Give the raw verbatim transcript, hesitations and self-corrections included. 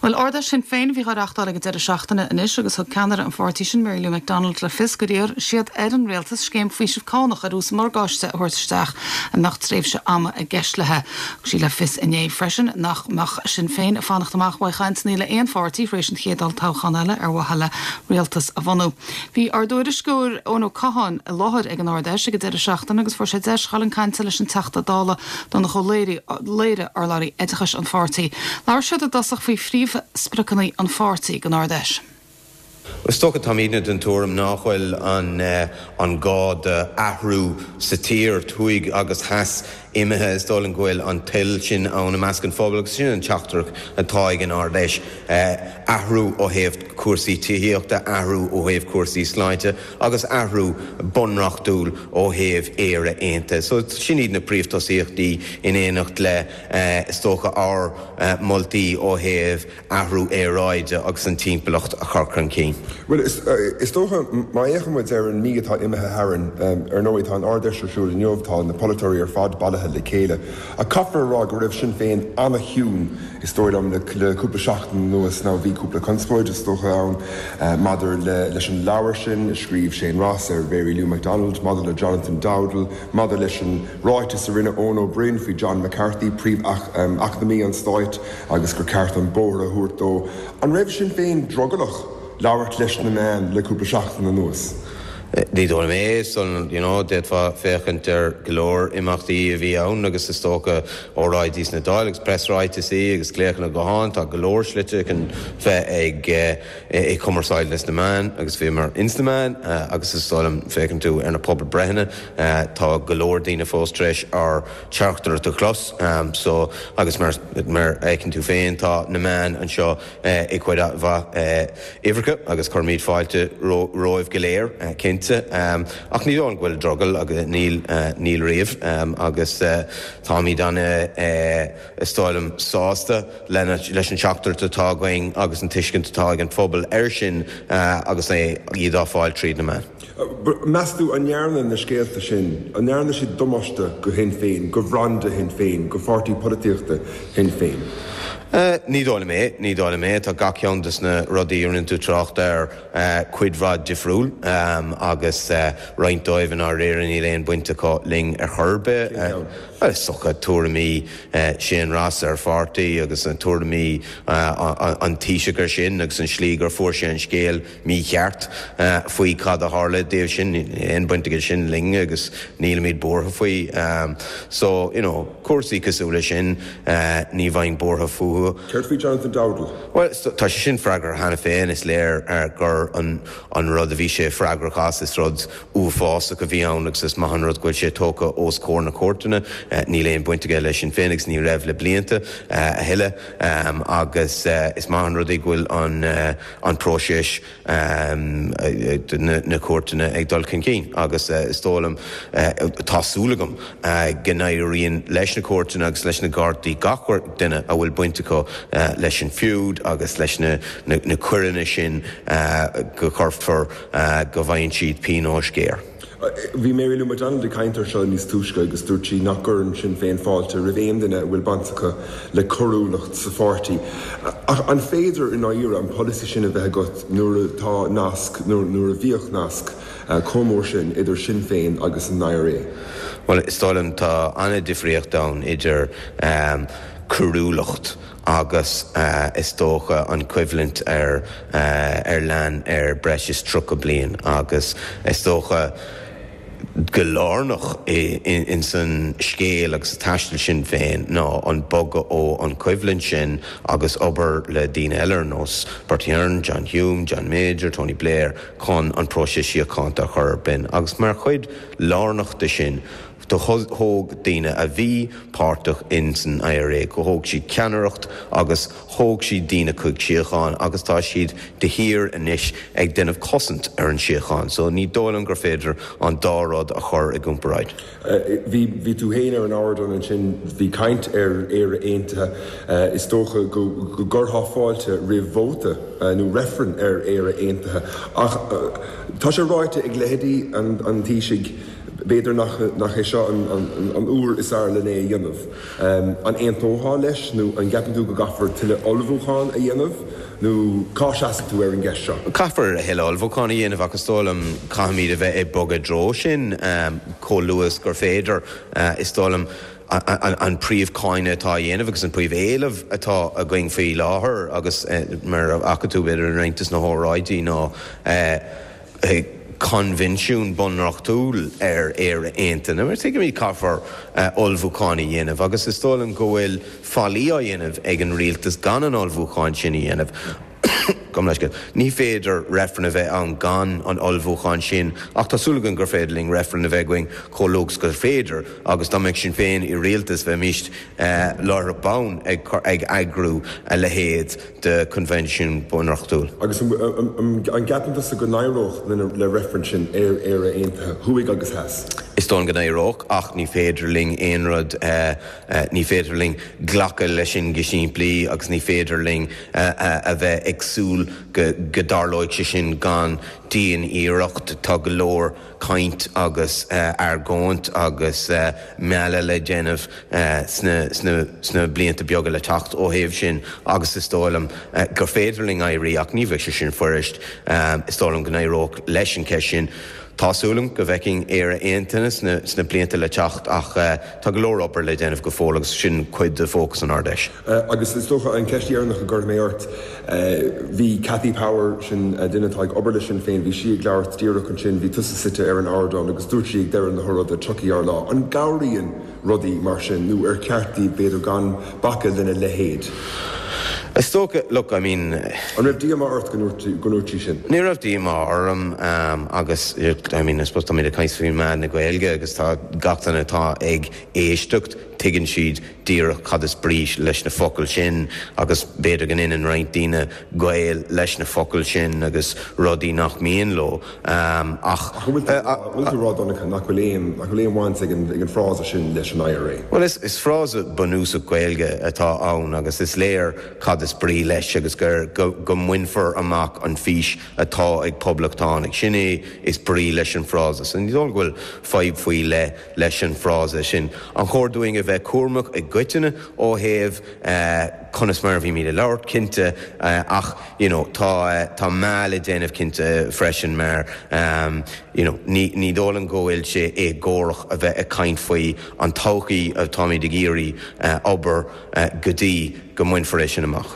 Well Ard-Fheis Shinn Féin a bhí á reáchtáil ag an deireadh seachtaine anois agus thug ceannaire an pháirtí sin Mary Lou McDonald le fios gur iarr siad ar an rialtas scéim faoisimh cánach ar ús morgáiste a thabhairt isteach a mbeadh tréimhse ama i gceist léi. Thug sí le fios inné freisin nach mbeadh Sinn Féin ag fanacht amach uaidh chainteanna le aon pháirtí tar éis an chéad olltoghchán eile ar mhaithe le rialtas a bhunú. Bhí ár dtuairisceoir Eoin Ó Catháin i láthair ag an Ard-Fheis ag an deireadh seachtaine agus fuair sé deis dul chun cainte leis an Teachta Dála Donnchadh Ó Laoghaire, urlabhraí oideachais an pháirtí. Labhair siad i dtosach faoi phríomhspriocanna an pháirtí don Ard-Fheis. Is dócha táimidne den tuairim nach bhfuil an an gá d'athrú sa tír thuaidh agus theas imithe is dóigh liom go bhfuil an toil sin ann i measc an phobail agus sin an teachtaireacht atá ag an Ard-Fheis athrú ó thaobh cúrsaí tithíochta, athrú ó thaobh cúrsaí sláinte agus athrú bunreachtúil ó thaobh Éire Aontaithe. So sin iad na príomhthosaíochtaí in éineacht le is dócha ár moltaí ó thaobh athrú aeráide agus an timpeallacht a chur chun cinn. Well is, is dócha má fhéachann muid ar an mí atá imithe tharainn ar ndóigh tá an Ard-Fheis ar siúl inniu tá na polaiteoirí ar fad bailithe le chéile. Ach caithfear a rá go raibh Sinn Féin an-chiúin is dóigh liom le, le cúpla seachtain anuas ná bhí cúpla conspóid is dócha ann maidir le, leis an leabhar sin a scríobh Shane Ross ar Mary Lou McDonald, maidir le Jonathan Dowdall, maidir leis an ráiteas a rinne Eoin Ó Broin faoi John McCarthy, príomh-eacnamaí an stáit agus gur ceart an bóthar a thabhairt dó. An raibh Sinn Féin drogallach labhairt leis na meáin le cúpla seachtain anuas? Ní dóigh liom é san you know, d'fhéadfá féachaint ar go leor imeachtaí a bhí ann agus is dócha óráidí sna Dáil agus preasráitisí agus glaochanna gutháin tá go leor slite chun bheith ag ag cumarsáid leis na meáin agus bhíomar ins na meáin agus is dóigh liom féachann tú ar na pobalbhreitheanna tá go leor daoine fós tar éis ár dteachtaireacht a chlos so agus mar mar a fheiceann tú féin tá na meáin anseo ag cuid mhaith uimhreacha agus cuirimid fáilte romhaibh go léir cinnte. Ach ní dóigh go bhfuil drogall agus níl níl riamh agus táimid an is dóigh liom sásta leis an teachtaireacht atá againn agus an tuiscint atá ag an phobal air sin agus é iad á fáil tríd na meáin. Meas tú an ndearna na scéalta sin, an ndearna siad damáiste do Shinn Féin, do bhranda Shinn Féin, do pháirtí polaitíochta Shinn Féin? Ní dóigh liom é, ní dóigh liom é, tá gach ceann de na rudaí a rinne tú trácht air cuid mhaith difriúil agus roinnt dóibh i ndáiríre níl aon baint acu linn ar chor ar bith. Is dócha tuairimí Shane Ross ar pháirtí agus an tuairimí an Taoiseach ar sin agus an slí gur fuair sé an scéal mícheart faoi cad a tharla dóibh sin aon baint aige sin linn agus nílimid buartha faoi. So you know, cúrsaí cosúil leis sin ní bheinn buartha fúthu. Céard faoi Jonathan Dowdall? Well tá sé sin freagrach cheana féin is léir gur an an rud a bhí sé freagrach as is rud uafásach a bhí ann agus is maith an rud go bhfuil sé tógtha os comhair na cúirteanna níl aon baint aige leis Sinn Féin agus ní raibh le blianta a thuilleadh agus is maith an rud é go bhfuil an an próiseas na cúirteanna ag dul chun cinn agus is dóigh liom tá súil agam go n-éiríonn leis na cúirteanna agus leis na gardaí gach duine a bhfuil baint acu leis an feud agus leis na na coireanna sin go gcuirfear go bhfaigheann siad pionós géar. Bhí Mary Lou McDonald ag caint air seo níos túisce agus dúirt sí nach gcuireann Sinn Féin fáilte roimh aon duine a bhfuil baint acu le coiriúlacht sa pháirtí. Ach an féidir i ndáiríre an polasaí sin a bheith agat nuair atá nasc nuair a bhíodh nasc chomh mór sin idir Sinn Féin agus an IRA? Well is dóigh liom tá an-difríocht ann idir coiriúlacht agus is dócha an choimhlint ar ar lean ar breis is tríocha bliain agus is dócha go lárnach in san scéal agus taisteal Sinn Féin ná an bogadh ó an choimhlint sin agus obair le daoine eile ar nós Bertie Ahern, John Hume, John Major, Tony Blair chun an próiseas síochána a chur ar bun agus mar chuid lárnach de sin do thóg daoine a bhí páirteach in san IRA go thóg siad ceannaireacht agus thóg siad daoine chuig síocháin agus tá siad de shíor anois ag déanamh cosaint ar an síocháin, so ní dóigh liom gur féidir an dá rud a chur i gcomparáid. Bhí bhí tú féin ar an ardán ansin bhí caint ar Éire Aontaithe is dócha go go gcuirfeá fáilte roimh vóta nó reifreann ar Éire Aontaithe ach tá sé ráite ag leithéidí an an Taoisigh b'fhéidir nach nach é seo an, an, an uair is fearr lena é a dhéanamh. Um, an aontófá leis nó an gceapann tú go gcaithfear tuilleadh ullmhúchán a dhéanamh nó cá seasann tú ar an gceist seo. Caithfear a thuilleadh ullmhúchán a dhéanamh agus is dóigh liom caithfimid a bheith ag bogadh i dtreo sin um, chomh luath is gur féidir uh, is dóigh liom an, an príomhcháineadh atá á dhéanamh agus an príomhéileamh atá againn faoi láthair agus eh, mar a fhaca tú b'fhéidir i roinnt de na hóráidí ná eh, eh, coinbhinsiún bunreachtúil ar Éire Aontaithe. Mar tuigimid caithfear uh, ullmhúchán a dhéanamh, agus is dóigh liom go bhfuil faillí á dhéanamh ag an rialtas gan an ullmhúchán sin a dhéanamh. Gabh mo leithscéal. Ní féidir reifreann a bheith ann gan an ullmhúchán sin, ach tá súil agam gur féidir linn reifreann a bheith againn chomh luath is gur féidir, agus dá mbeadh Sinn Féin i rialtas bheimist uh, láithreach bonn ag, ag eagrú a leithéid de coinbhinsiún bunreachtúil. Agus an, an, an, an gceapann tusa go n-éireodh le, le reifreann sin ar Éire Aontaithe thuaidh agus theas. Is dóigh go n-éireodh ach ní féidir linn aon rud uh, uh, ní féidir linn glacadh leis sin go simplí agus ní féidir linn uh, uh, a bheith ag súil go, go dtarlóidh sé sin gan dian-iarracht tá go leor caint agus uh, argóint agus uh, mealladh le déanamh uh, sna, sna, sna blianta beaga le teacht ó thaobh sin agus is dóigh liom uh, gur féidir linn éirí ach ní bheidh sé sin fuirist um, is dóigh liom go n-éireodh leis an ceist sin. Tá súil agam go bhfeicfinn Éire Aontaithe sna, sna blianta le teacht ach uh, tá go leor obair le déanamh go fóill agus sin cuid de fócas an Ard-Fheis. Uh, agus is dócha an ceist dheireanach a chuirfidh mé ort uh, bhí Cathy Power sin uh, duine atá ag obair le Sinn Féin, bhí sí ag labhairt díreach ansin bhí tusa suite ar an ardán agus dúirt sí ag deireadh na hóráide tiocfaidh ár lá. An gcabhraíonn rudaí mar sin nó ar cheart daoibh b'fhéidir gan bacadh lena leithéid. Is dócha look I mean An raibh díomá ort go ndúirt sí sin? Ní raibh díomá orm um, agus I mean, I suppose tá mé ag caint faoi meán na Gaeilge agus tá gach duine atá ag éisteacht tuigeann siad díreach cad is brí leis na focail sin agus b'fhéidir go ndéanann roinnt daoine gaol leis na focail sin agus rudaí nach mian leo um, ach bhfuil tú ag rá nach bhfuil aon nach bhfuil aon bhaint ag an frása sin leis an IRA. Well is, is frása bunúsach Gaeilge atá ann agus is léir cad is brí leis agus gur go, go mbainfear amach an fhís atá ag poblachtánaigh sin é is brí leis an frása. So ní dóigh go bhfuil fadhb faoi le leis an frása sin. An chóir dúinn a bheith cúramach i gcoitinne ó thaobh uh, conas mar bhí mé ag labhairt cinnte uh, ach you know, tá uh, tá meá le déanamh cinnte freisin mar um, you know, ní, ní dóigh liom go bhfuil sé éagórach a bheith ag caint faoi an todhchaí atáimid ag iarraidh uh, obair uh, go dtí go mbainfear é sin amach.